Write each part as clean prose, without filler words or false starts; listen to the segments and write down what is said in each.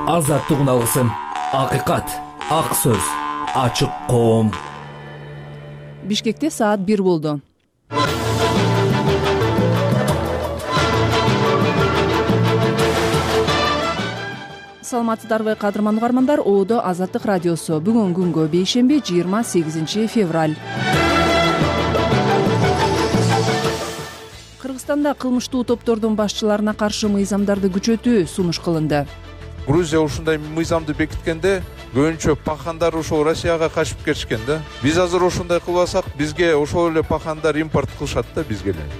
азаттык үналысын, акыйкат, ак сөз, ачык коом. Бишкекте саат 1 болду. Саламатсыздарбы кадырман угармандар, Оодо Азаттык радиосу. Бүгүн күнгө бейшемби 28 февраль. Кыргызстанда кылмыштуу топтордун башчыларына каршы мыйзамдарды күчөтүү сунуш кылынды. Грузия ушундай мыйзамды бекиткенде көбүнчө пахандар ошо Россияга качып кетишкен да. Биз азыр ошондой кылбасак, бизге ошол эле пахандар импорт кылышат да бизге эле.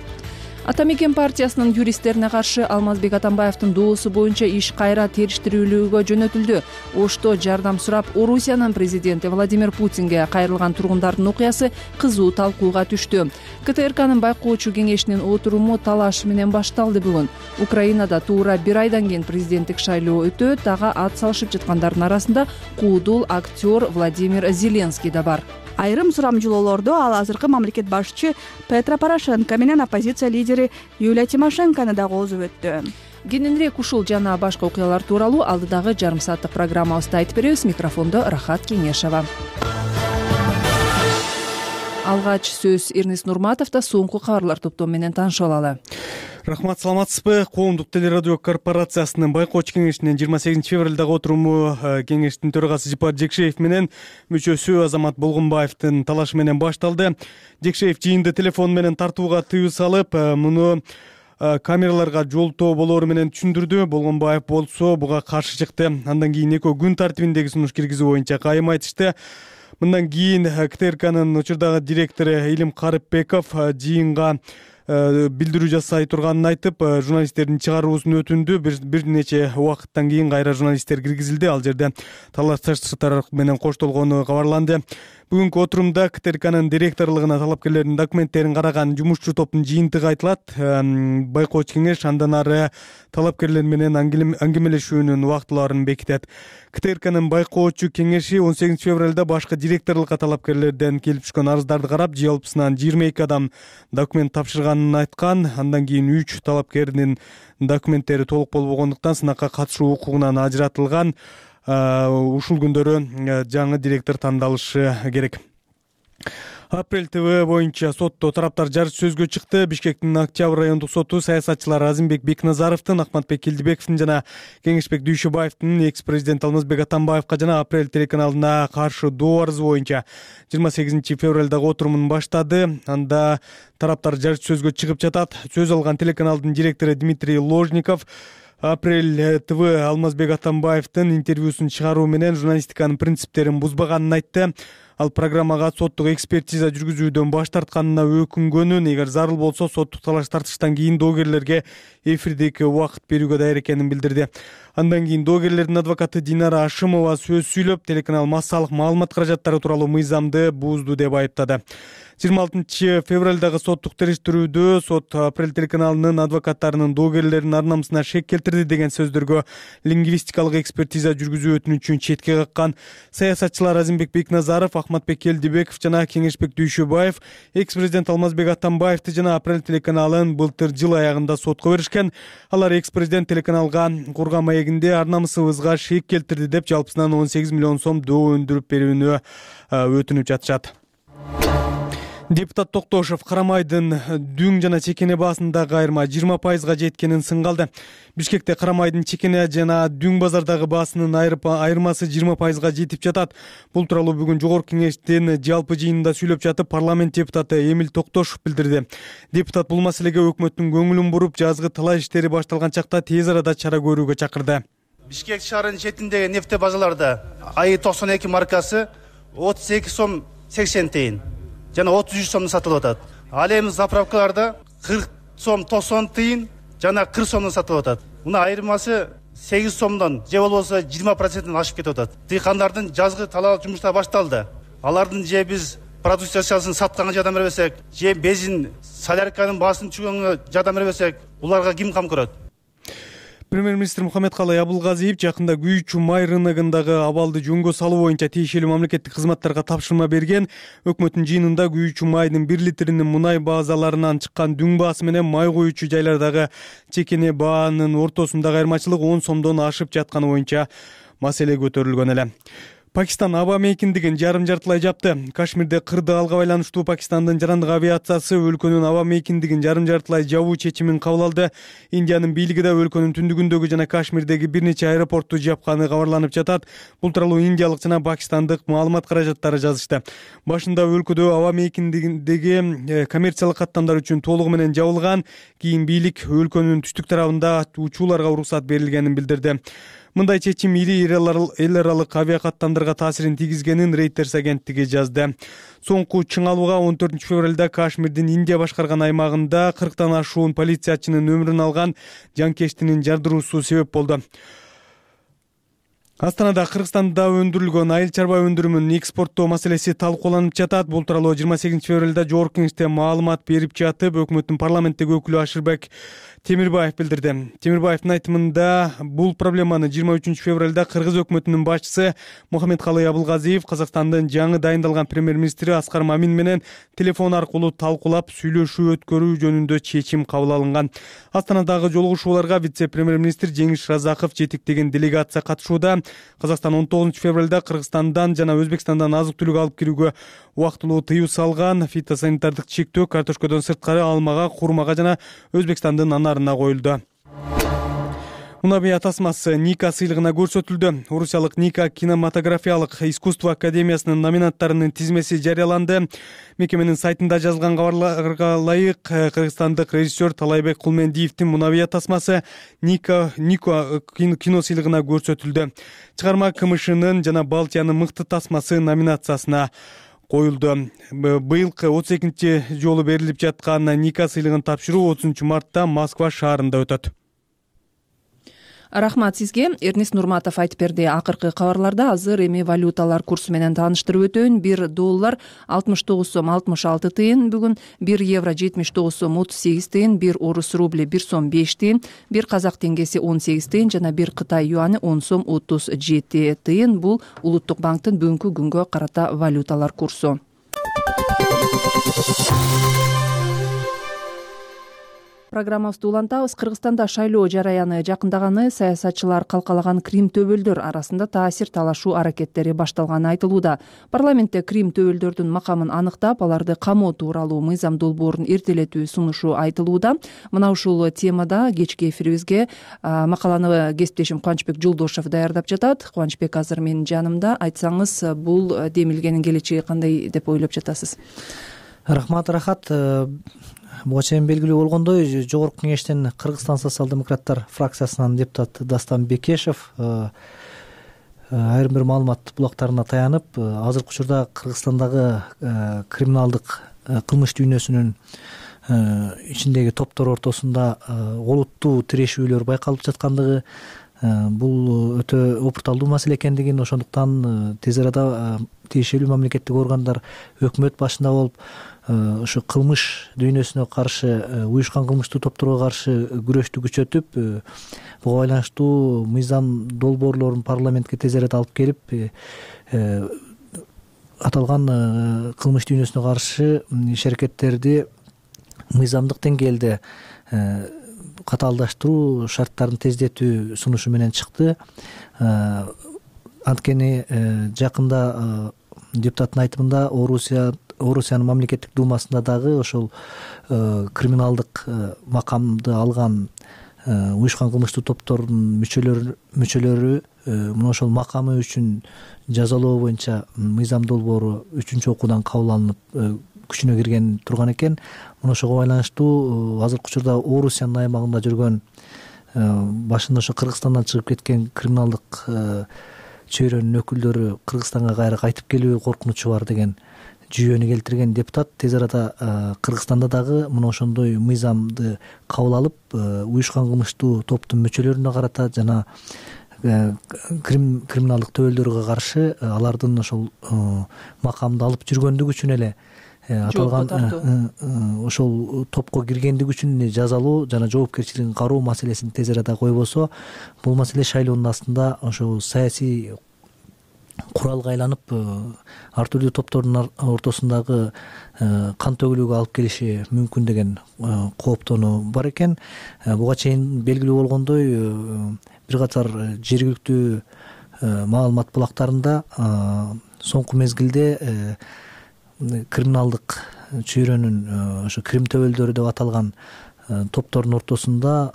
Ата мекен партиясынын юристтерине каршы Алмазбек Атамбаевдин доосу боюнча иш кайра териштирүүлүүгө жөнөтүлдү. Ошто жардам сурап, Орусиянын президенти Владимир Путинге кайрылган тургундардын окуясы кызуу талкууга түштү. КТРКнын байкоочу кеңешинин отуруму талаш менен башталды бүгүн. Украинада туура 1 айдан кийин президенттик шайлоо өтөт. Ага ат салышып жаткандардын арасында куудул актер Владимир Зеленский да бар. Айрым сурамжылоолордо ал азыркы мамлекет башчы Петро Порошенко менен оппозиция лидери Юлия Тимошенкону да коозуп өттү. Кененирээк ушул жана башка окуялар тууралуу алдыдагы жарым сааттык программабызда айтып беребиз. Микрофондо Рахат Кеңешова. Алгач сөз Эрнис Нурматовдо. Соңку кабарлар топтому менен таанышып алалы. Рахмат, саламатсызбы? Коомдук телерадио корпорациясынын байкоочу кеңешинин 28 февралдагы отуруму кеңештин төрагасы Жипар Жекшеев менен мүчөсү Азамат Болгонбаевдин талашы менен башталды. Жекшеев жыйынды телефон менен тартууга тыюу салып, муну камераларга жолтоо болоору менен түшүндүрдү. Болгонбаев болсо буга каршы чыкты. Андан кийин экөө күн тартибиндеги сунуш киргизүү боюнча кайым айтышты. Мындан кийин КТРКнын учурдагы директору Илим Карыпбеков жыйынга билдирүү жасай турганын айтып, журналисттердин чыгаруусун өтүндү. Бир нече убакыттан кийин кайра журналисттер киргизилди. Ал жерде талашташтар менен коштолгону кабарланды. Бүгүнкү отурумда КТРКнын директорлугуна талапкерлердин документтерин караган жумушчу топтун жыйынтыгы айтылат. Байкоочу кеңеш андан ары талапкерлер менен аңгемелешүүнүн убактыларын бекитет. КТРКнын байкоочу кеңеши 18 февралда башкы директорлукка талапкерлерден келип түшкөн арыздарды карап, жалпысынан 22 адам документ тапшырганын айткан. Андан кийин 3 талапкердин документтери толук болбогондуктан сынакка катышуу укугунан ажыратылган. Ушул күндөрү жаңы директор тандалышы керек. Апрель ТВ боюнча сотто тараптар жарыш сөзгө чыкты. Бишкектин Октябрь райондук соту саясатчылар Азимбек Бекназаровдун, Акматбек Келдибековдун жана Кеңешбек Дүйшөбаевдин экс-президент Алмазбек Атамбаевга жана Апрель телеканалына каршы доо арызы боюнча 28 февралдагы отурумун баштады. Анда тараптар жарыш сөзгө чыгып жатат. Сөз алган телеканалдын директору Дмитрий Ложников Апрель ТВ Алмазбек Атамбаевдин интервьюсун чыгаруу менен журналистиканын принциптерин бузбаганын айтты. Ал программага соттук экспертиза жүргүзүүдөн баш тартканына өкүнгөнүн, эгер зарыл болсо соттук талаш тартыштан кийин доогерлерге эфирдеги убакыт берүүгө даяр экенин билдирди. Андан кийин доогерлердин адвокаты Динара Ашымова сөз сүйлөп, телеканал массалык маалымат каражаттары тууралуу мыйзамды бузду деп айыптады. 26 февралдагы соттук териштирүүдө сот Апрель телеканалынын адвокаттарынын доогерлердин ар намысына шек келтирди деген сөздөргө лингвистикалык экспертиза жүргүзүү өтүнүчүн четке каккан. Саясатчылар Азимбек Бекназаров, Акматбек Келдибеков жана Кеңешбек Дүйшөбаев экс-президент Алмазбек Атамбаевди жана Апрель телеканалын былтыр жыл аягында сотко беришкен. Алар экс-президент телеканалга курган маегинде ар намысыбызга шек келтирди деп жалпысынан 18 миллион сом доо өндүрүп берүүнү өтүнүп жатышат. Депутат Токтошов Карамайдын дүң жана чекене баасындагы айырма 20%га жеткенин сынгалды. Бишкекте Карамайдын чекене жана дүң базардагы баасынын айырмасы 20%га жетип жатат. Бул тууралуу бүгүн жогорку кеңештин жалпы жыйынында сүйлөп жатып, парламент депутаты Эмил Токтошов билдирди. Депутат бул маселеге өкмөттүн көңүлүн буруп, жазгы талаа иштери башталган чакта тез арада чара көрүүгө чакырды. Бишкек шаарынын четиндеги нефте базаларда АИ 92 маркасы 32 сом 80 тыйын жана 33 сомдон сатылып атат. Ал эми заправкаларда 40 сом 90 тыйын жана 40 сомдон сатылып атат. Муну айырмасы 8 сомдон же болбосо 20%-тен ашып кетип атат. Дыйкандардын жазгы талаа жумуштары башталды. Алардын же биз продукциясын сатканга жардам бербесек, же бензин солярканын баасын түшкөнгө жардам бербесек, буларга ким кам көрөт? Премьер-министр Мухаммедкалый Абылгазиев жакында күйүүчү май рыногундагы абалды жөнгө салуу боюнча тиешелүү мамлекеттик кызматтарга тапшырма берген. Өкмөттүн жыйынында күйүүчү майдын 1 литринин мунай базаларынан чыккан дүң баасы менен май куючу жайлардагы чекене баанын ортосундагы айырмачылык 10 сомдон ашып жатканы боюнча маселе көтөрүлгөн эле. Пакистан аба мейкиндигин жарым-жартылай жапты. Кашмирде кырды алга байланыштуу Пакистандын жарандык авиациясы өлкөнүн аба мейкиндигин жарым-жартылай жабуу чечимин кабыл алды. Индиянын бийлиги да өлкөнүн түндүгүндөгү жана Кашмирдеги бир нече аэропортту жапканы кабарланып жатат. Бул тууралуу индиялык жана пакистандык маалымат каражаттары жазышты. Башында өлкөдө аба мейкиндигиндеги коммерциялык каттамдар үчүн толугу менен жабылган, кийин бийлик өлкөнүн түштүк тарабында учууларга уруксат берилгенин билдирди. Мындай чечим ири эл аралык авиакаттамдарга таасирин тийгизгенин Reuters агенттиги жазды. Соңку чыңалууга 14 февралда Кашмирдин Индия башкарган аймагында 40тан ашуун полициячынын өмүрүн алган жанкештинин жардыруусу себеп болду. Астанада Кыргызстанда өндүрүлгөн айыл чарба өндүрүмүн экспорттоо маселеси талкууланып жатат. Бул тууралуу 28 февралда Жогорку Кеңеште маалымат берип жатып, өкмөттүн парламенттеги өкүлү Ашырбек Темирбаев билдирди. Темирбаевдин айтымында бул проблеманы 23 февралда Кыргыз өкмөтүнүн башчысы Мухаммедкалый Абылгазиев Казакстандын жаңы дайындалган премьер-министри Аскар Мамин менен телефон аркылуу талкуулап сүйлөшүү өткөрүү жөнүндө чечим кабыл алынган. Астанадагы жолугушууларга вице-премьер-министр Жеңиш Разаков жетектеген делегация катышууда. Казакстан 19 февралда Кыргызстандан жана Өзбекстандан азык-түлүк алып кирүүгө убактылуу тыюу салган. Фитосанитардык чектөө картошкодон сырткары алмага, курмага жана Өзбекстандын анарына коюлду. Унабия тасмасы Ника сыйлыгына көрсөтүлдү. Орусиялык Ника кинематографиялык искусство академиясынын номинанттарынын тизмеси жарыяланды. Мекеменин сайтында жазылган кабарларга ылайык, кыргызстандык режиссер Талайбек Кулмендиевдин Мунабия тасмасы Ника кино сыйлыгына көрсөтүлдү. Чыгарма КМШнын жана Балтиянын мыкты тасмасы номинациясына коюлду. Быйылкы 32 жолу берилип жаткан Ника сыйлыгын тапшыруу 30 мартта Москва шаарында өтөт. Рахмат сизге. Эрнест Нурматов айтып берди. Акыркы кабарларда азыр эми валюталар курсу менен тааныштырып өтөйүн. 1 доллар 69 сом 66 тыйын, бүгүн 1 евро 79 сом 38 тыйын, 1 орус рубли 1 сом 5 тыйын, 1 казак теңгеси 18 тыйын жана 1 Кытай юаны 10 сом 37 тыйын. Бул Улуттук банктын бүгүнкү күнгө карата валюталар курсу. Программабызды улантабыз. Кыргызстанда шайлоо жараяны жакындаганы, саясатчылар калкалаган Крим төбөлдөр арасында таасир талашуу аракеттери башталганы айтылууда. Парламентте Крим төбөлдөрдүн макамын аныктап, аларды камоо тууралуу мыйзам долбоорун эртелетүү сунушу айтылууда. Мына ушул темада кечки эфирибизге макаланы кесиптешим Кубанычбек Жолдошев даярдап жатат. Кубанычбек азыр менин жанымда. Айтсаңыз, бул демилгенин келечеги кандай деп ойлоп жатасыз? Рахмат, Рахат. Буга чейин белгилүү болгондой, Жогорку Кеңештин Кыргызстан социал-демократтар фракциясынын депутаты Дастан Бекешев айрым бир маалымат булактарына таянып, азыркы учурда Кыргызстандагы криминалдык кылмыш дүйнөсүнүн ичиндеги топтор ортосунда олуттуу тирешүүлөр байкалып жаткандыгы, бул өтө опурталдуу маселе экендигин, ошондуктан тез арада тиешелүү мамлекеттик органдар өкмөт башында болуп, ушу кылмыш дүйнөсүнө каршы, уюшкан кылмыштуу топторго каршы күрөштү күчөтүп, буга байланыштуу мыйзам долбоорлорун парламентке тез арада алып келип, аталган кылмыш дүйнөсүнө каршы иш-аракеттерди мыйзамдык деңгээлде катаалдаштыруу шарттарын тездетүү сунушу менен чыкты. Анткени жакында депутаттын айтымында Орусиянын мамлекеттик думасында дагы ошол криминалдык макамды алган уюшкан кылмыштуу топтордун мүчөлөрү мына ошол макамы үчүн жазалоо боюнча мыйзам долбоору 3-окуудан кабыл алынып күчүнө кирген турган экен. Мына ошого байланыштуу азыркы учурда Орусиянын аймагында жүргөн, башында ошо Кыргызстандан чыгып кеткен криминалдык чөйрөнүн өкүлдөрү Кыргызстанга кайра кайтып келүү коркунучу бар деген жүйөнү келтирген депутат тез арада Кыргызстанда дагы мына ошондой мыйзамды кабыл алып, уюшкан кылмыштуу топтун мүчөлөрүнө карата жана криминалдык төбөлдөргө каршы алардын ошол макамды алып жүргөндүгү үчүн эле аталган ошол топко киргендиги үчүн жазалоо жана жоопкерчилигин кароо маселесин тез арада койбосо, бул маселе шайлоонун астында ошол саясий куралга айланып ар түрдүү топтордун ортосундагы кан төгүлүүгө алып келиши мүмкүн деген кооптонуу бар экен. Буга чейин белгилүү болгондой бир катар жергиликтүү маалымат булактарында соңку мезгилде криминалдык чөйрөнүн ошо Крим төбөлдөрү деп аталган топтордун ортосунда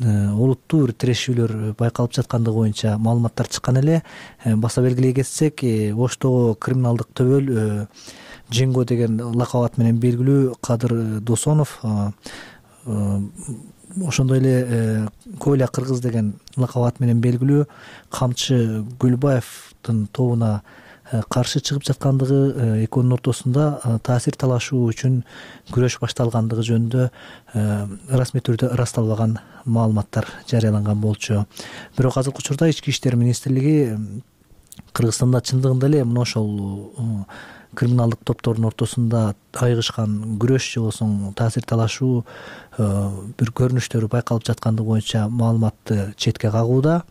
олуттуу бир тирешүүлөр байкалып жаткандыгы боюнча маалыматтар чыккан эле. Баса белгилей кетсек, Оштогу криминалдык төбөл Джинго деген лакап ат менен белгилүү Кадыр Досонов, ошондой эле Коля Кыргыз деген лакап ат менен белгилүү Камчы Гүлбаевдин тобуна каршы чыгып жаткандыгы, экөөнүн ортосунда таасир талашуу үчүн күрөш башталгандыгы жөнүндө расмий түрдө ырасталбаган маалыматтар жарыяланган болчу. Бирок азыркы учурда Ички иштер министрлиги Кыргызстанда чындыгында эле мына ошол криминалдык топтордун ортосунда айыгышкан күрөш же болбосо таасир талашуу бир көрүнүштөрү байкалып жаткандыгы боюнча маалыматты четке кагууда.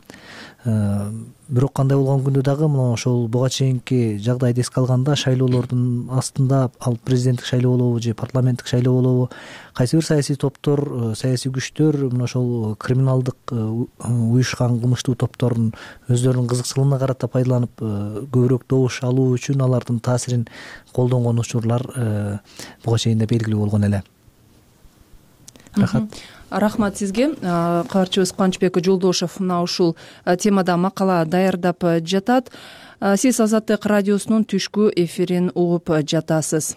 Бирок кандай болгон күндө дагы мына ошол буга чейинки жагдайды эске алганда шайлоолордун астында, ал президенттик шайлоо болобу же парламенттик шайлоо болобу, кайсы бир саясий топтор, саясий күчтөр мына ошол криминалдык уюшкан кылмыштуу топтордун өздөрүнүн кызыкчылыгына карата пайдаланып көбүрөөк добуш алуу үчүн алардын таасирин колдонгон учурлар буга чейин да белгилүү болгон эле. Рахмат сизге. Кабарчыбыз Кубанычбек Жолдошев мына ушул темада макала даярдап жатат. Сиз Азаттык радиосунун түшкү эфирин угуп жатасыз.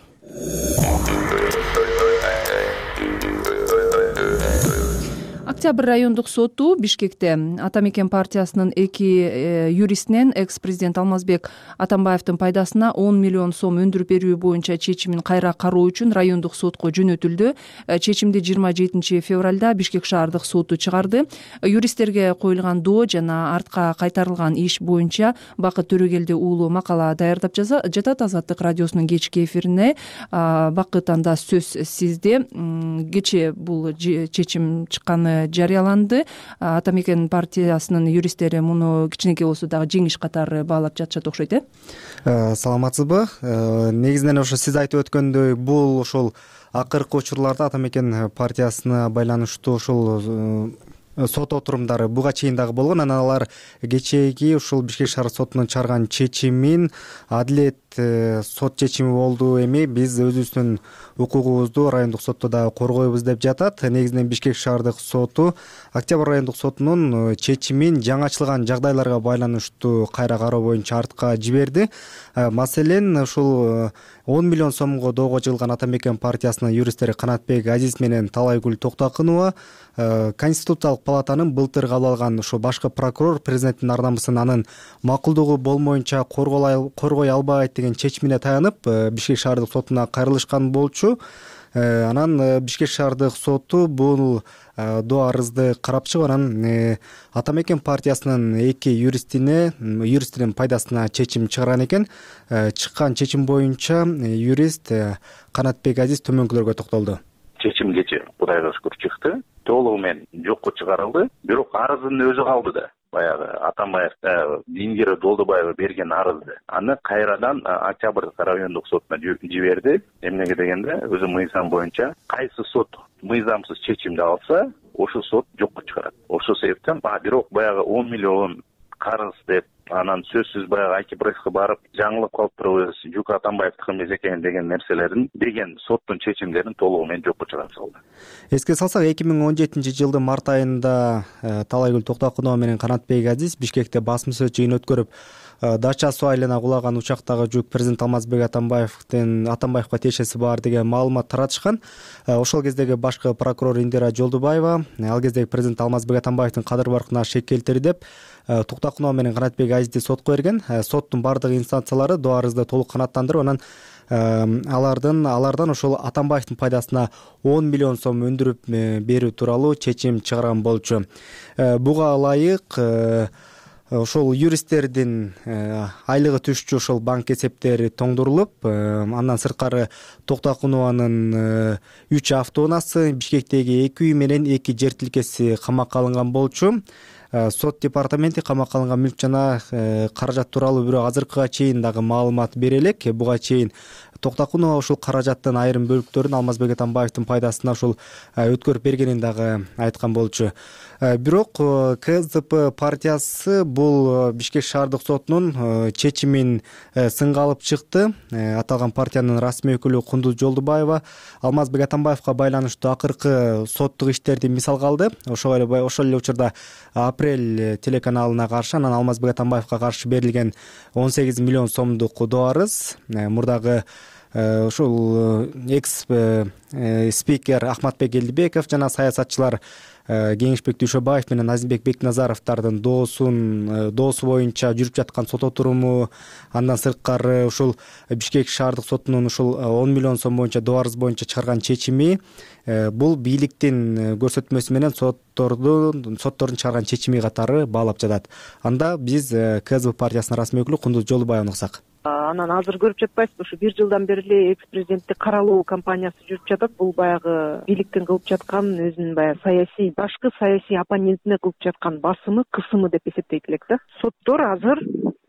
Октябрь райондук соту Бишкекте Ата Мекен партиясынын 2 юристинен экс-президент Алмазбек Атамбаевдин пайдасына 10 миллион сом өндүрүп берүү боюнча чечимин кайра кароо үчүн райондук сотко жөнөтүлдү. Чечимди 27 февралда Бишкек шаардык соту чыгарды. Юристтерге коюлган доо жана артка кайтарылган иш боюнча Бакыт Төрөгелди уулу макала даярдап жатат Азаттык радиосунун кечки эфирине. Бакыт, анда сөз сизде. Кечээ бул чечим чыкканы жарыяланды. Ата Мекен партиясынын юристтери муну кичинекей болсо дагы жеңиш катары баалап жатышат окшойт, Саламатсызбы? Негизинен ошо сиз айтып өткөндөй, бул ошол акыркы учурларда Ата Мекен партиясына байланыштуу ошол сот отурумдары буга чейин дагы болгон. Анан алар кечээги ушул Бишкек шаар сотунун чыгарган чечимин адилет сот чечими болду, эми биз өзүбүздүн укугубузду райондук сотто дагы коргойбуз деп жатат. Негизинен Бишкек шаардык соту Октябрь райондук сотунун чечимин жаңычылган жагдайларга байланыштуу кайра кароо боюнча артка жиберди. Маселен, ушул 10 миллион сомго доого жыгылган Ата Мекен партиясынын юристтери Канатбек Азиз менен Талайгүл Токтокунова Конституциялык палатанын былтыр кабыл алган ошо башкы прокурор президенттин ар намысын анын макулдугу болмоюнча коргой албайт деген чечимине таянып Бишкек шаардык сотуна кайрылышкан болчу. Анан Бишкек шаардык соту бул доо арызды карап чыгып, анан Ата Мекен партиясынын 2 юристинин пайдасына чечим чыгарган экен. Чыккан чечим боюнча юрист Канатбек Азиз төмөнкүлөргө токтолду. Чечим кечээ Кудайга шүкүр чыкты. Толугу менен жокко чыгарылды. Бирок арыздын өзү калды да. Баягы Атамбаев Дингер Долдубаева берген арызды аны кайрадан Октябрь райондук сотуна жиберди. Эмнеге дегенде, өзү мыйзам боюнча кайсы сот мыйзамсыз чечимди алса, ошол сот жокко чыгарат. Ошол себептен бирок баягы 10 миллион карыз деп, анан сөзсүз баягы Айки-Пресске барып жаңылып калып турабыз, Жук Атамбаевдики эмес экен деген нерселерин деген соттун чечимдерин толугу менен жокко чыгарып салды. Эске салсак, 2017-жылдын март айында Талайгүл Токтокунова менен Канатбек Азиз Бишкекте басма сөз жыйын өткөрүп, Дача суу айылына кулаган учактагы жүк президент Алмазбек Атамбаевга тиешеси бар деген маалымат таратышкан. Ошол кездеги башкы прокурор Индира Жолдубаева ал кездеги президент Алмазбек Атамбаевдин кадыр баркына шек келтири деп Токтокунова менен Канатбек Азизди сотко берген. Соттун бардык инстанциялары доо арызды толук канааттандырып, анан алардан ошол Атамбаевдин пайдасына 10 миллион сом өндүрүп берүү тууралуу чечим чыгарган болчу. Буга ылайык ошол юристтердин айлыгы түшчү ошол банк эсептери тоңдурулуп, андан сырткары Токтокунованын 3 автоунаасы, Бишкектеги 2 үй менен 2 жер тилкеси камакка алынган болчу. Сот департаменти камакка алынган мүлк жана каражат тууралуу бирок азыркыга чейин дагы маалымат бере элек. Буга чейин Токтокунова ушул каражаттын айрым бөлүктөрүн Алмазбек Атамбаевдин пайдасына ушул өткөрүп бергенин дагы айткан болчу. Бирок КСДП партиясы бул Бишкек шаардык сотунун чечимин сынга алып чыкты. Аталган партиянын расмий өкүлү Кундуз Жолдубаева Алмазбек Атамбаевга байланыштуу акыркы соттук иштерди мисалга алды. Ошол эле учурда Апрель телеканалына каршы, анан Алмазбек Атамбаевга каршы берилген 18 миллион сомдук доо арыз, мурдагы ушул экс спикер Ахматбек Элдибеков жана саясатчылар Кеңешбек Дүйшөбаев менен Азимбек Бекназаровдун доосу боюнча жүрүп жаткан сот отуруму, андан сырткары ушул Бишкек шаардык сотунун ушул 10 миллион сом боюнча доо арыз боюнча чыгарган чечими бул бийликтин көрсөтмөсү менен соттордун чыгарган чечими катары баалап жатат. Анда биз КСДП партиясынын расмий өкүлү Кундуз Жолдубаеваны уксак. Анан азыр көрүп жатпайсызбы, ушу 1 жылдан бери эле экс президенттик каралуу кампаниясы жүрүп жатат. Бул баягы бийликтин кылып жаткан өзүнүн баягы башкы саясий оппонентине кылып жаткан басымы, кысымы деп эсептейт элек да. Соттор азыр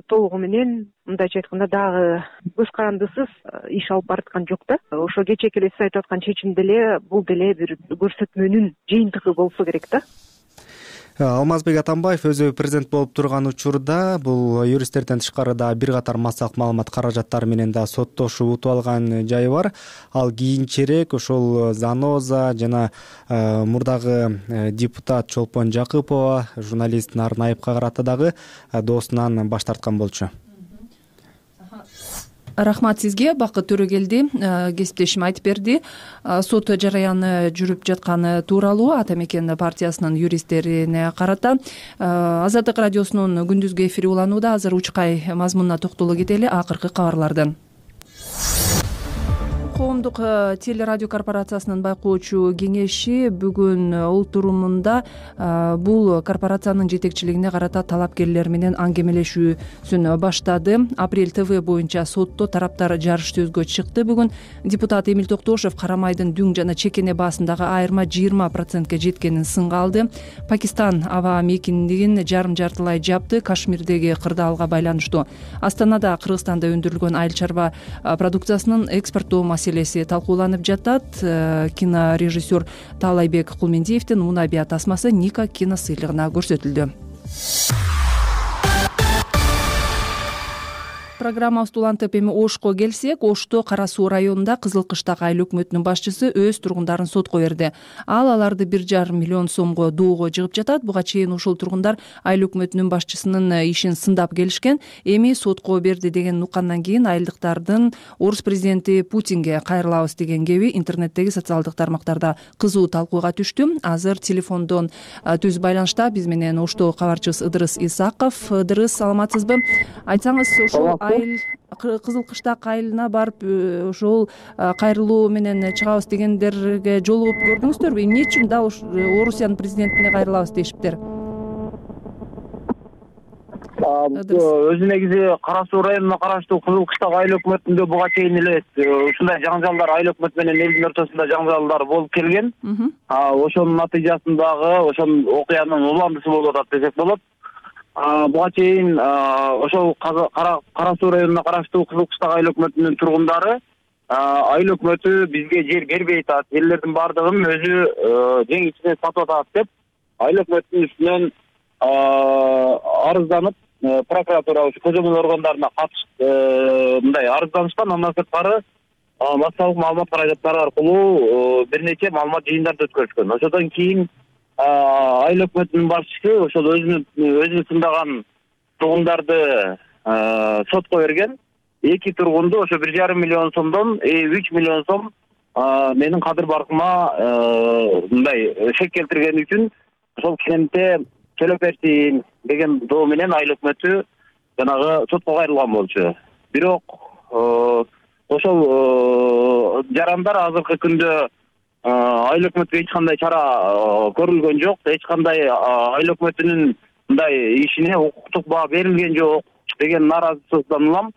толугу менен, мындайча айтканда, дагы көз карандысыз иш алып бараткан жок да. Ошо кечээки эле сиз айтып аткан чечим деле бул деле бир көрсөтмөнүн жыйынтыгы болсо керек да. Алмазбек Атамбаев өзү президент болуп турган учурда бул юристтерден тышкары да бир катар массалык маалымат каражаттары менен да соттошуп утуп алган жайы бар. Ал кийинчерээк ошол Заноза жана мурдагы депутат Чолпон Жакыпова, журналист Нарын Айыпка карата дагы доосунан баш тарткан болчу. Рахмат сизге. Бакыт Төрөгелди кесиптешим айтып берди. Сот жараяны жүрүп жатканы тууралуу Ата Мекен партиясынын юристтерине карата. Азаттык радиосунун күндүзгү эфири уланууда. Азыр учкай мазмунуна токтоло кетели. Акыркы кабарлардан. Коомдук телерадио корпорациясынын байкоочу кеңеши бүгүн олтурумунда бул корпорациянын жетекчилигине карата талапкерлер менен аңгемелешүүсүн баштады. Апрель ТВ боюнча сотто тараптар жарыш сөзгө чыкты. Бүгүн депутат Эмил Токтошев карамайдын дүң жана чекене баасындагы айырма 20%ке жеткенин сынга алды. Пакистан аба мейкиндигин жарым-жартылай жапты. Кашмирдеги кырдаалга байланыштуу Астанада Кыргызстанда өндүрүлгөн айыл чарба продукциясынын экспорттоо маселеси талкууланып жатат. Кинорежиссер Таалайбек Кулмендиевдин Мунабия тасмасы Ника киносыйлыгына көрсөтүлдү. Программабызды улантып эми Ошко келсек, Ошто Кара Суу районунда Кызыл Кыштак айыл өкмөтүнүн башчысы өз тургундарын сотко берди. Ал аларды 1,5 миллион сомго доого жыгып жатат. Буга чейин ушул тургундар айыл өкмөтүнүн башчысынын ишин сындап келишкен. Эми сотко берди деген уккандан кийин айылдыктардын орус президенти Путинге кайрылабыз деген кеби интернеттеги социалдык тармактарда кызуу талкууга түштү. Азыр телефондон түз байланышта биз менен Ошто кабарчыбыз Ыдырыс Исаков. Ыдырыс, саламатсызбы? Айтсаңыз, ошол Кызыл Кыштак айылына барып ошол кайрылуу менен чыгабыз дегендерге жолугуп көрдүңүздөрбү? Эмне үчүн да Орусиянын президентине кайрылабыз дешиптир? Өзү негизи Кара Суу районуна караштуу Кызыл Кыштак айыл өкмөтүндө буга чейин эле ушундай жаңжалдар, айыл өкмөтү менен элдин ортосунда жаңжалдар болуп келген. Ошонун натыйжасындагы ошол окуянын уландысы болуп атат десек болот. Буга чейин ошол Кара Суу районуна караштуу Кызыл Кыштак айыл өкмөтүнүн тургундары айыл өкмөтү бизге жер бербей атат, жерлердин баардыгын өзү жең ичинен сатып атат деп айыл өкмөтүнүн үстүнөн арызданып, прокуратура көзөмөл органдарына катышып мындай арызданышкан. Андан сырткары массалык маалымат каражаттары аркылуу бир нече маалымат жыйындарды өткөрүшкөн. Ошодон кийин айыл өкмөтүнүн башчысы ошол өзүнүн сындаган тургундарды сотко берген. 2 тургунду ошо 1,5 миллион сомдон 3 миллион сом менин кадыр баркыма мындай шек келтиргени үчүн ошол кенте төлөп берсин деген доо менен айыл өкмөтү жанагы сотко кайрылган болчу. Бирок ошол жарандар азыркы күндө айыл өкмөтүгө эч кандай чара көрүлгөн жок. Эч кандай айыл өкмөтүнүн мындай ишине укуктук баа берилген жок деген нааразычылыктан улам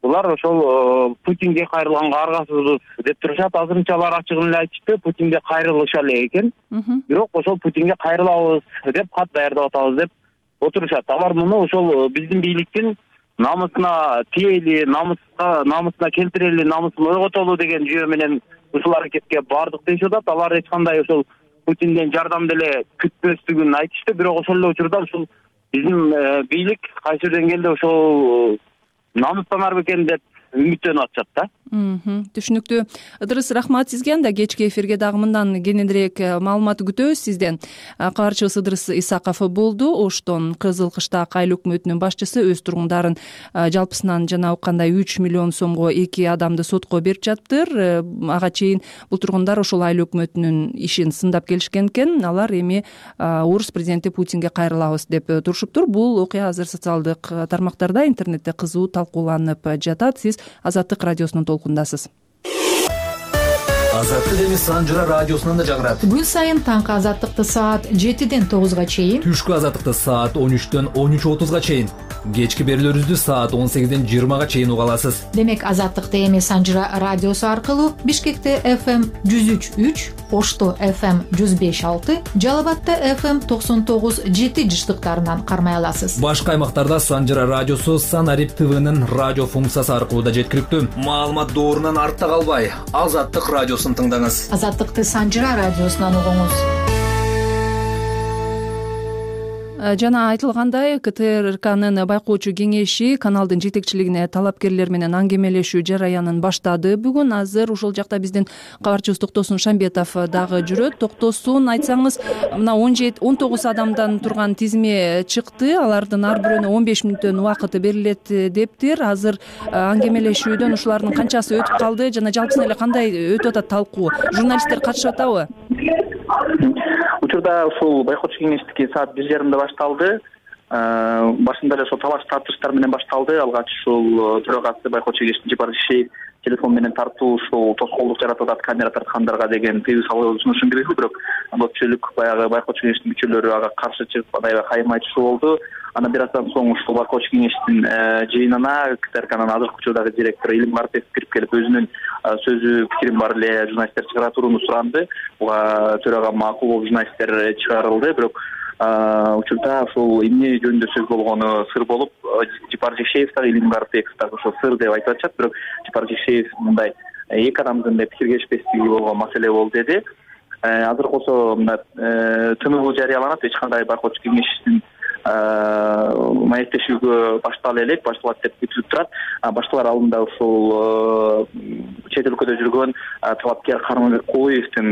булар ошол Путинге кайрылганга аргасызбыз деп турушат. Азырынча алар ачыгын эле айтышты, Путинге кайрылышалы экен. Бирок ошол Путинге кайрылабыз деп кат даярдап атабыз деп отурушат. Алар муну ошол биздин бийликтин намысына тиели, намысына келтирели, намысын ойготолу деген жүйө менен ушул аракетке бардык дешип атат. Алар эч кандай ошол Путинден жардам деле күтпөстүгүн айтышты. Бирок ошол эле учурда ушул биздин бийлик кайсы бир деңгээлде ошол намыстанар бекен деп үмүттөнүп атышат да. Түшүнүктүү. Ыдырыс, рахмат сизге. Анда кечки эфирге дагы мындан кененирээк маалымат күтөбүз сизден. Кабарчыбыз Ыдырыс Исаков болду. Оштон Кызыл Кыштак айыл өкмөтүнүн башчысы өз тургундарын жалпысынан жана уккандай 3 миллион сомго 2 адамды сотко берип жатыптыр. Ага чейин бул тургундар ошол айыл өкмөтүнүн ишин сындап келишкен экен. Алар эми Орус президенти Путинге кайрылабыз деп турушуптур. Бул окуя азыр социалдык тармактарда, интернетте кызуу талкууланып жатат. Сиз Азаттык радиосунун толкундасыз. Азаттык эми Санжыра радиосунан да жагырат. Күн сайын таңкы Азаттыкты саат 7ден 9га чейин, түшкү Азаттыкты саат 13дөн 13:30га чейин, кечки берүүлөрүбүздү саат 18ден 20га чейин уга аласыз. Демек Азаттыкты эми Санжыра радиосу аркылуу Бишкекте FM 103.3, Ошто FM 105.6, Жалал Абадта FM 99.7 жыштыктарынан кармай аласыз. Башка аймактарда Санжыра радиосу Санарип ТВнын радио функциясы аркылуу да жеткиликтүү. Маалымат доорунан артта калбай, Азаттык радиосун тыңдаңыз. Азаттыкты Санжыра радиосунан угуңуз. Жана айтылгандай, КТРКнын байкоочу кеңеши каналдын жетекчилигине талапкерлер менен аңгемелешүү жараянын баштады. Бүгүн азыр ушул жакта биздин кабарчыбыз Токтосун Шамбетов дагы жүрөт. Токтосун, айтсаңыз, мына 19 адамдан турган тизме чыкты. Алардын ар бирөөнө 15 мүнөттөн убакыты берилет дептир. Азыр аңгемелешүүдөн ушулардын канчасы өтүп калды жана жалпысынан эле кандай өтүп атат талкуу? Журналисттер катышып атабы? Учурда ушул байкоочу кеңештики саат 1:30 башталды. Башында эле ошол талаш тартыштар менен башталды. Алгач ушул төрагасы байкоочу кеңештин Жапар Жекшеев телефон менен тартуу ушул тоскоолдук жаратып атат камера тарткандарга деген тыюу салуу сунушун киргизди. Бирок көпчүлүк баягы байкоочу кеңештин мүчөлөрү ага каршы чыгып аябай кайым айтышуу болду. Анан бир аздан соң ушул байкоочу кеңештин жыйынына КТРКнын азыркы учурдагы директору Илим Карпиев кирип келип өзүнүн сөзү пикирин бар эле журналисттер чыгара турууну суранды. Буга төрага макул болуп журналисттер чыгарылды. Бирок учурда ушул эмне жөнүндө сөз болгону сыр болуп, Жапар Жекшеев дагы Илим Карпиев дагы ошол сыр деп айтып атышат. Бирок Жапар Жекшеев мындай эки адамдын да пикиргешпестиги болгон маселе болду деди. Азыр болсо мына ТНУ жарыяланат, эч кандай байкоочу кеңештин маектешүүгө баштала элек, башталат деп күтүлүп турат. Башталар алдында ушул чет өлкөдө жүргөн талапкер Карманбек Кулуевдин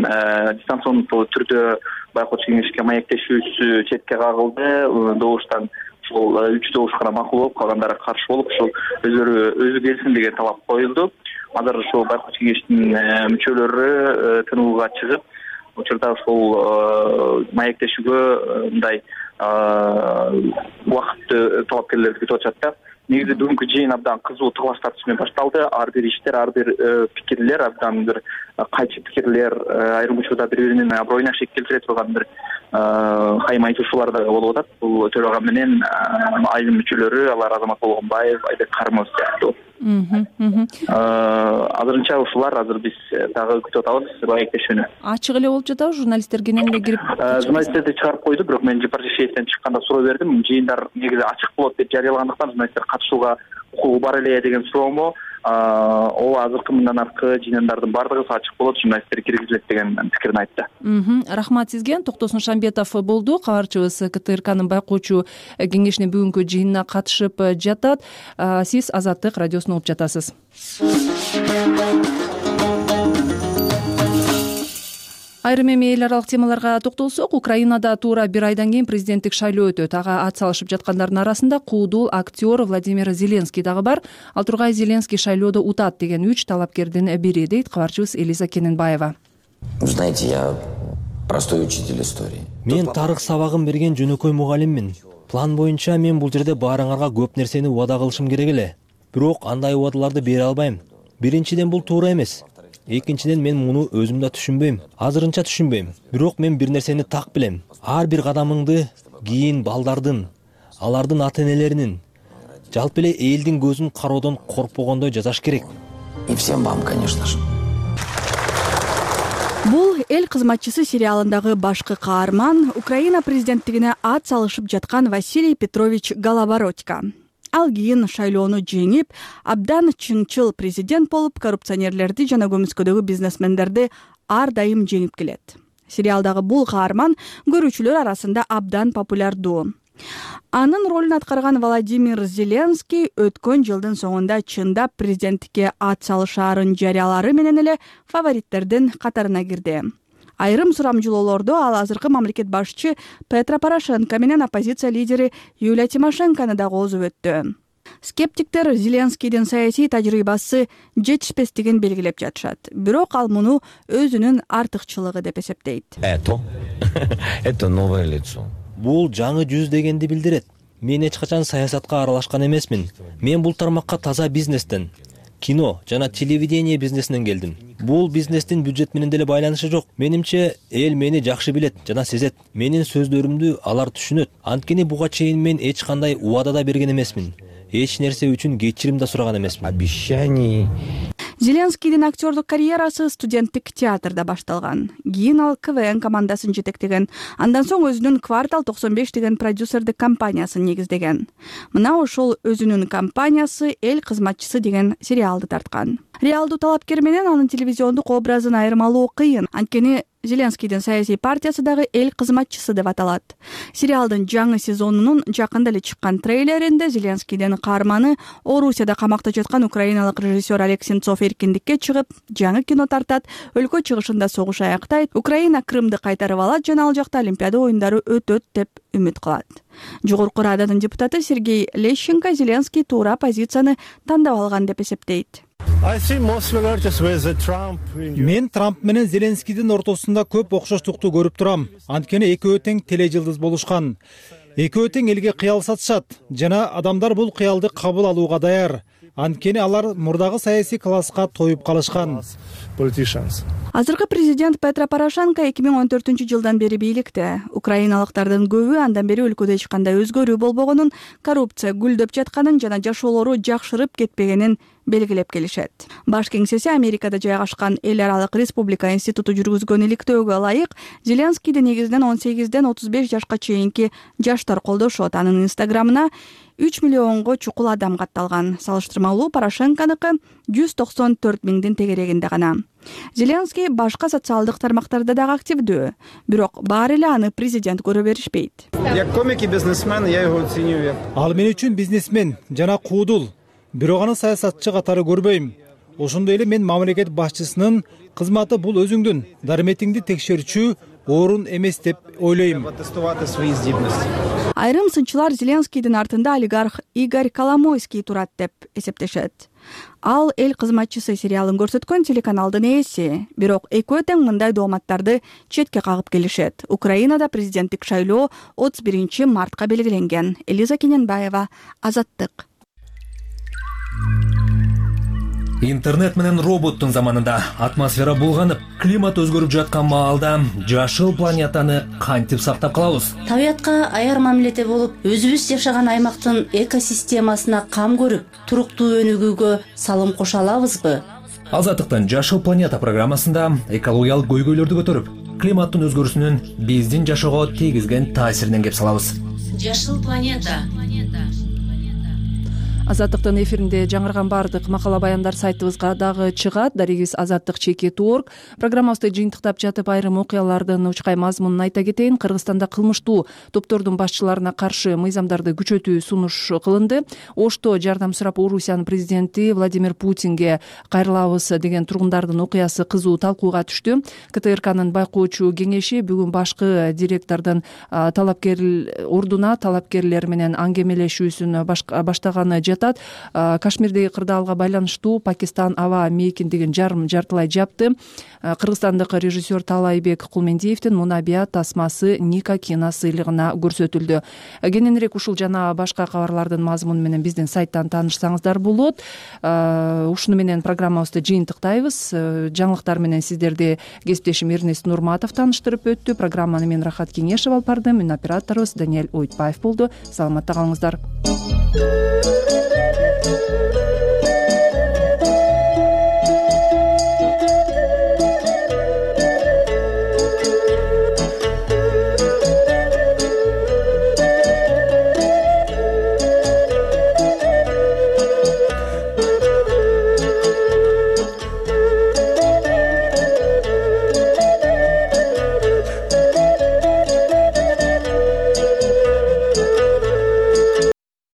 дистанциондуу түрдө байкоочу кеңешке маектешүүсү четке кагылды. Добуштан ушул 3 добуш гана макул болуп, калгандары каршы болуп, ушул өзү келсин деген талап коюлду. Азыр ушул байкоочу кеңештин мүчөлөрү ТНУга чыгып, учурда ушул маектешүүгө мындай убакытты талапкерлерди күтүп атышат да. Негизи бүгүнкү жыйын абдан кызуу талаш тартыш менен башталды. Ар бир иштер, ар бир пикирлер, абдан бир кайчы пикирлер, айрым учурда бири-биринин аброюна шек келтире турган бир кайым айтышуулар да болуп атат. Бул төрага менен айыл мүчөлөрү, алар Азамат Болгонбаев, Айбек Карымов сыяктуу. Азырынча ушулар, азыр биз дагы күтүп атабыз маектешүүнү. Ачык эле болуп жатабы? Журналисттер кенен эле кирип журналисттерди чыгарып койду. Бирок мен Жапар Жекшеевден чыкканда суроо бердим. Жыйындар негизи ачык болот деп жарыялагандыктан журналисттер катышууга укугу бар эле деген суроомо. Ооба, азыркы мындан аркы жыйындардын баардыгы ачык болот, журналисттер киргизилет деген пикирин айтты. Рахмат сизге. Токтосун Шамбетов болду. Кабарчыбыз КТРКнын байкоочу кеңешинин бүгүнкү жыйынына катышып жатат. Сиз Азаттык радиосун угуп жатасыз. Айрым эми эл аралык темаларга токтолсок, Украинада туура бир айдан кийин президенттик шайлоо өтөт. Ага ат салышып жаткандардын арасында куудул актер Владимир Зеленский дагы бар. Ал тургай Зеленский шайлоодо утат деген 3 талапкердин бири, дейт кабарчыбыз Элиза Кененбаева. Знаете, я простой учитель истории. Мен тарых сабагын берген жөнөкөй мугалиммин. План боюнча мен бул жерде баарыңарга көп нерсени убада кылышым керек эле. Бирок андай убадаларды бере албайм. Биринчиден бул туура эмес. Экинчиден мен муну өзүм да түшүнбөйм. Азырынча түшүнбөйм. Бирок мен бир нерсени так билем. Ар бир кадамыңды кийин балдардын, алардын ата энелеринин, жалпы эле элдин көзүн кароодон коркпогондой жасаш керек. И всем вам, конечно же. Бул эл кызматчысы сериалындагы башкы каарман Украина президенттигине ат салышып жаткан Василий Петрович Голобородько. Ал кийин шайлоону жеңип, абдан чыңчыл президент болуп, коррупционерлерди жана көмүскөдөгү бизнесмендерди ар дайым жеңип келет. Сериалдагы бул каарман көрүүчүлөр арасында абдан популярдуу. Анын ролун аткарган Владимир Зеленский өткөн жылдын соңунда чындап президенттикке ат салышаарын жарыялары менен эле фавориттердин катарына кирди. Айрым сурамжылоолордо ал азыркы мамлекет башчы Петро Порошенко менен оппозиция лидери Юлия Тимошенкону да коозуп өттү. Скептиктер Зеленскийдин саясий тажрыйбасы жетишпестигин белгилеп жатышат. Бирок ал муну өзүнүн артыкчылыгы деп эсептейт. Это новое лицо. Бул жаңы жүз дегенди билдирет. Мен эч качан саясатка аралашкан эмесмин. Мен бул тармакка таза бизнестен, кино жана телевидение бизнесинен келдим. Бул бизнестин бюджет менен деле байланышы жок. Менимче эл мени жакшы билет жана сезет. Менин сөздөрүмдү алар түшүнөт. Анткени буга чейин мен эч кандай убада да берген эмесмин. Эч нерсе үчүн кечирим да сураган эмесмин. Обещаний. Зеленскийдин актерлук карьерасы студенттик театрда башталган. Кийин ал КВН командасын жетектеген. Андан соң өзүнүн Квартал 95 деген продюсердик компаниясын негиздеген. Мына ошол өзүнүн компаниясы эл кызматчысы деген сериалды тарткан. Реалдуу талапкер менен анын телевизиондук образын айырмалоо кыйын. Анткени Зеленскийдин саясий партиясы дагы эл кызматчысы деп аталат. Сериалдын жаңы сезонунун жакында эле чыккан трейлеринде Зеленскийдин каарманы Орусияда камакта жаткан украиналык режиссер Олег Сенцов эркиндикке чыгып, жаңы кино тартат, өлкө чыгышында согуш аяктайт, Украина Крымды кайтарып алат жана ал жакта Олимпиада оюндары өтөт деп үмүт кылат. Жогорку Рададын депутаты Сергей Лещенко Зеленский туура позицияны тандап алган деп эсептейт. Мен Трамп менен Зеленскийдин ортосунда көп окшоштукту көрүп турам. Анткени экөө тең тележылдыз болушкан. Экөө тең элге кыял сатышат жана адамдар бул кыялды кабыл алууга даяр. Анткени алар мурдагы саясий класска тоюп калышкан. Азыркы президент Петро Порошенко 2014 жылдан бери бийликте. Украиналыктардын көбү андан бери өлкөдө эч кандай өзгөрүү болбогонун, коррупция гүлдөп жатканын жана жашоолору жакшырып кетпегенин белгилеп келишет. Баш кеңсеси Америкада жайгашкан Эл аралык республика институту жүргүзгөн иликтөөгө ылайык, Зеленскийди негизинен 18ден 35 жашка чейинки жаштар колдошот. Анын инстаграмына 3 миллионго чукул адам катталган. Салыштырмалуу Порошенконуку 194 миңдин тегерегинде гана. Зеленский башка социалдык тармактарда дагы активдүү, бирок баары эле аны президент көрө беришпейт. Як комик и бизнесмен, я его ценю. Ал мен үчүн бизнесмен жана куудул. Бирок аны саясатчы катары көрбөйм. Ошондой эле мен мамлекет башчысынын кызматы бул өзүңдүн дарметиңди текшерүүчү орун эмес деп ойлойм. Айрым сынчылар Зеленскийдин артында олигарх Игорь Коломойский турат деп эсептешет. Ал эл кызматчысы сериалын көрсөткөн телеканалдын ээси, бирок экөө тең мындай дооматтарды четке кагып келишет. Украинада президенттик шайлоо 31 мартка белгиленген. Элиза Кененбаева, Азаттык. Интернет менен роботтун заманында атмосфера булганып, климат өзгөрүп жаткан маалда жашыл планетаны кантип сактап калабыз? Табиятка аяр мамиледе болуп, өзүбүз жашаган аймактын экосистемасына кам көрүп, туруктуу өнүгүүгө салым кошо алабызбы? Азаттыктын Жашыл планета программасында экологиялык көйгөйлөрдү көтөрүп, климаттын өзгөрүүсүнүн биздин жашоого тийгизген таасиринен кеп салабыз. Жашыл планета. Азаттыктын эфиринде жаңырган баардык макала баяндар сайтыбызга дагы чыгат. Дарегибиз azattik.org. Программабызды жыйынтыктап жатып айрым окуялардын учкай мазмунун айта кетейин. Кыргызстанда кылмыштуу топтордун башчыларына каршы мыйзамдарды күчөтүү сунуш кылынды. Ошто жардам сурап Орусиянын президенти Владимир Путинге кайрылабыз деген тургундардын окуясы кызуу талкууга түштү. КТРКнын байкоочу кеңеши бүгүн башкы директордун талапкер ордуна талапкерлер менен аңгемелешүүсүн баштаганы жатат. Кашмирдеги кырдаалга байланыштуу Пакистан аба мейкиндигин жартылай жапты. Кыргызстандык режиссер Таалайбек Кулмендиевдин Мунабия тасмасы Ника кино сыйлыгына көрсөтүлдү. Кененирээк ушул жана башка кабарлардын мазмуну менен биздин сайттан таанышсаңыздар болот. Ушуну менен программабызды жыйынтыктайбыз. Жаңылыктар менен сиздерди кесиптешим Эрнест Нурматов тааныштырып өттү. Программаны мен Рахат Кеңешев алып бардым. Мен операторубуз Даниэль Ойтбаев болду. Саламатта калыңыздар.